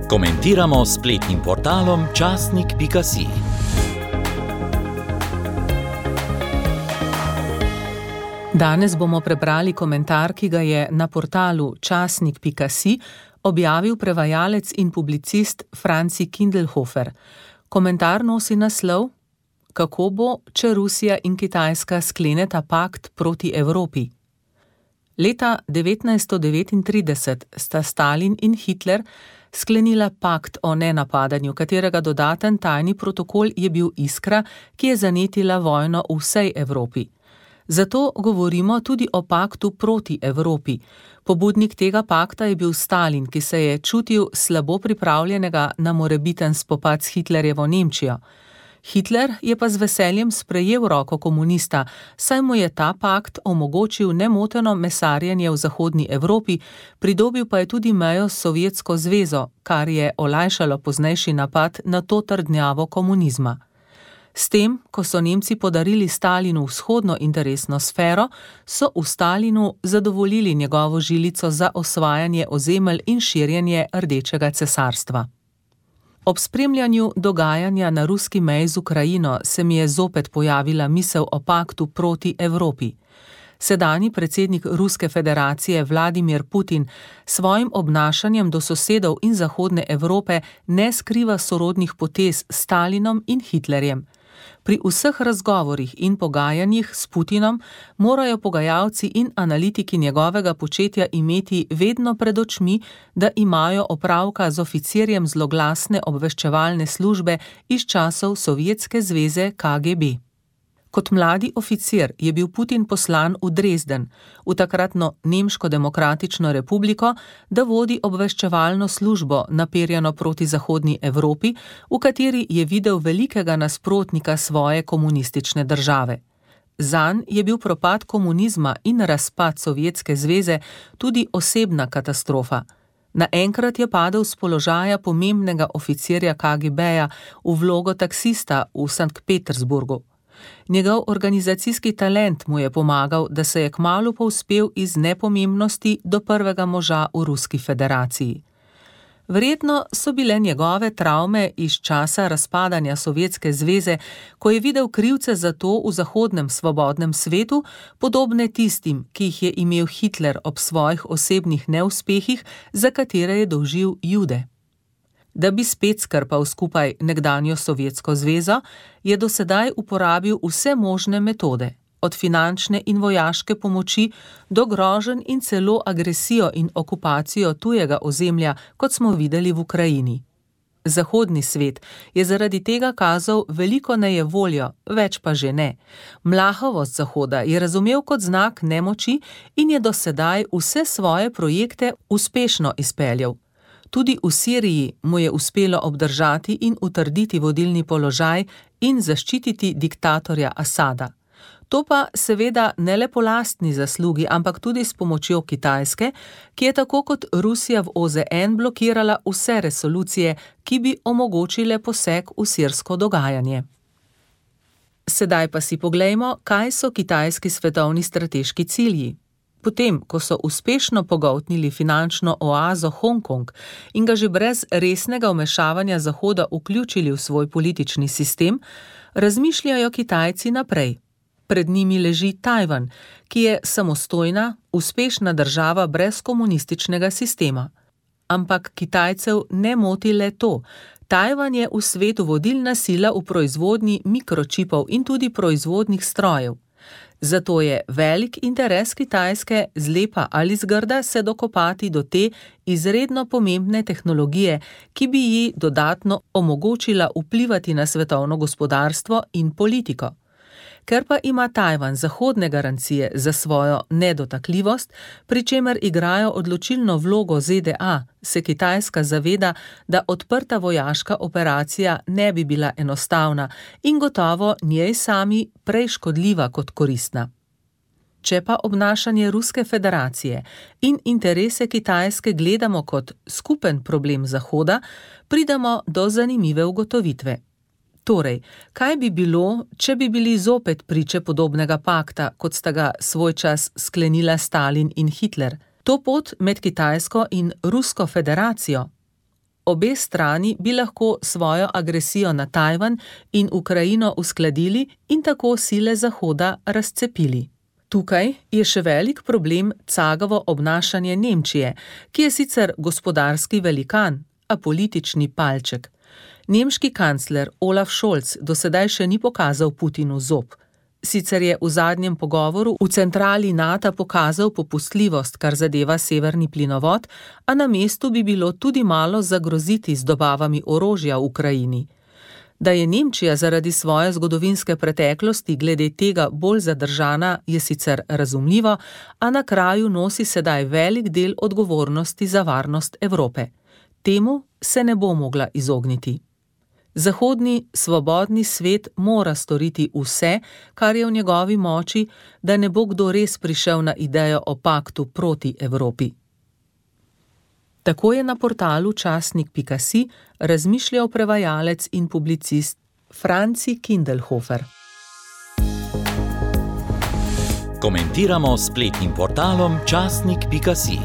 Komentiramo s spletnim portalom časnik.si. Danes bomo prebrali komentar, ki ga je na portalu časnik.si objavil prevajalec in publicist Franci Kindelhofer. Komentar nosi naslov: Kako bo, če Rusija in Kitajska skleneta pakt proti Evropi? Leta 1939 sta Stalin in Hitler sklenila pakt o nenapadanju, katerega dodaten tajni protokol je bil iskra, ki je zanetila vojno v vsej Evropi. Zato govorimo tudi o paktu proti Evropi. Pobudnik tega pakta je bil Stalin, ki se je čutil slabo pripravljenega na morebiten spopad s Hitlerjevo Nemčijo. Hitler je pa z veseljem sprejel roko komunista, saj mu je ta pakt omogočil nemoteno mesarjenje v zahodni Evropi, pridobil pa je tudi mejo s Sovjetsko zvezo, kar je olajšalo poznejši napad na to trdnjavo komunizma. S tem, ko so Nemci podarili Stalinu vzhodno interesno sfero, so v Stalinu zadovoljili njegovo žilico za osvajanje ozemelj in širjenje Rdečega cesarstva. Ob spremljanju dogajanja na ruski meji z Ukrajino se mi je zopet pojavila misel o paktu proti Evropi. Sedanji predsednik Ruske federacije Vladimir Putin svojim obnašanjem do sosedov in zahodne Evrope ne skriva sorodnih potez s Stalinom in Hitlerjem. Pri vseh razgovorih in pogajanjih s Putinom morajo pogajalci in analitiki njegovega početja imeti vedno pred očmi, da imajo opravka z oficirjem zloglasne obveščevalne službe iz časov Sovjetske zveze KGB. Kot mladi oficir je bil Putin poslan v Dresden, v takratno Nemško demokratično republiko, da vodi obveščevalno službo naperjeno proti zahodni Evropi, v kateri je videl velikega nasprotnika svoje komunistične države. Zanj je bil propad komunizma in razpad Sovjetske zveze tudi osebna katastrofa. Naenkrat je padel s položaja pomembnega oficirja KGB-ja v vlogo taksista v Sankt Petersburgu. Njegov organizacijski talent mu je pomagal, da se je kmalu povzpel iz nepomembnosti do prvega moža v Ruski federaciji. Verjetno so bile njegove travme iz časa razpadanja Sovjetske zveze, ko je videl krivce za to v zahodnem svobodnem svetu, podobne tistim, ki jih je imel Hitler ob svojih osebnih neuspehih, za katere je dolžil Jude. Da bi spet skrpal skupaj nekdanjo Sovjetsko zvezo, je do sedaj uporabil vse možne metode, od finančne in vojaške pomoči do groženj in celo agresijo in okupacijo tujega ozemlja, kot smo videli v Ukrajini. Zahodni svet je zaradi tega kazal veliko nejevoljo, več pa že ne. Mlahavost Zahoda je razumel kot znak nemoči in je do sedaj vse svoje projekte uspešno izpeljal. Tudi v Siriji mu je uspelo obdržati in utrditi vodilni položaj in zaščititi diktatorja Asada. To pa seveda ne le po lastni zaslugi, ampak tudi s pomočjo Kitajske, ki je tako kot Rusija v OZN blokirala vse resolucije, ki bi omogočile poseg v sirsko dogajanje. Sedaj pa si poglejmo, kaj so kitajski svetovni strateški cilji. Potem, ko so uspešno pogoltnili finančno oazo Hongkong in ga že brez resnega vmešavanja Zahoda vključili v svoj politični sistem, razmišljajo Kitajci naprej. Pred njimi leži Tajvan, ki je samostojna, uspešna država brez komunističnega sistema. Ampak Kitajcev ne moti le to. Tajvan je v svetu vodilna sila v proizvodnji mikročipov in tudi proizvodnih strojev. Zato je velik interes Kitajske zlepa ali zgrda se dokopati do te izredno pomembne tehnologije, ki bi ji dodatno omogočila vplivati na svetovno gospodarstvo in politiko. Ker pa ima Tajvan zahodne garancije za svojo nedotakljivost, pri čemer igrajo odločilno vlogo ZDA, se Kitajska zaveda, da odprta vojaška operacija ne bi bila enostavna in gotovo njej sami prej škodljiva kot koristna. Če pa obnašanje Ruske federacije in interese Kitajske gledamo kot skupen problem Zahoda, pridemo do zanimive ugotovitve. Torej, kaj bi bilo, če bi bili zopet priče podobnega pakta, kot sta ga svoj čas sklenila Stalin in Hitler? To pot med Kitajsko in Rusko federacijo? Obe strani bi lahko svojo agresijo na Tajvan in Ukrajino uskladili in tako sile Zahoda razcepili. Tukaj je še velik problem cagavo obnašanje Nemčije, ki je sicer gospodarski velikan, a politični palček. Nemški kancler Olaf Scholz do sedaj še ni pokazal Putinu zob. Sicer je v zadnjem pogovoru v centrali NATO pokazal popustljivost, kar zadeva severni plinovod, a na mestu bi bilo tudi malo zagroziti z dobavami orožja v Ukrajini. Da je Nemčija zaradi svoje zgodovinske preteklosti glede tega bolj zadržana, je sicer razumljivo, a na kraju nosi sedaj velik del odgovornosti za varnost Evrope. Temu se ne bo mogla izogniti. Zahodni, svobodni svet mora storiti vse, kar je v njegovi moči, da ne bo kdo res prišel na idejo o paktu proti Evropi. Tako je na portalu časnik.si razmišljal prevajalec in publicist Franci Kindelhofer. Komentiramo s spletnim portalom časnik.si.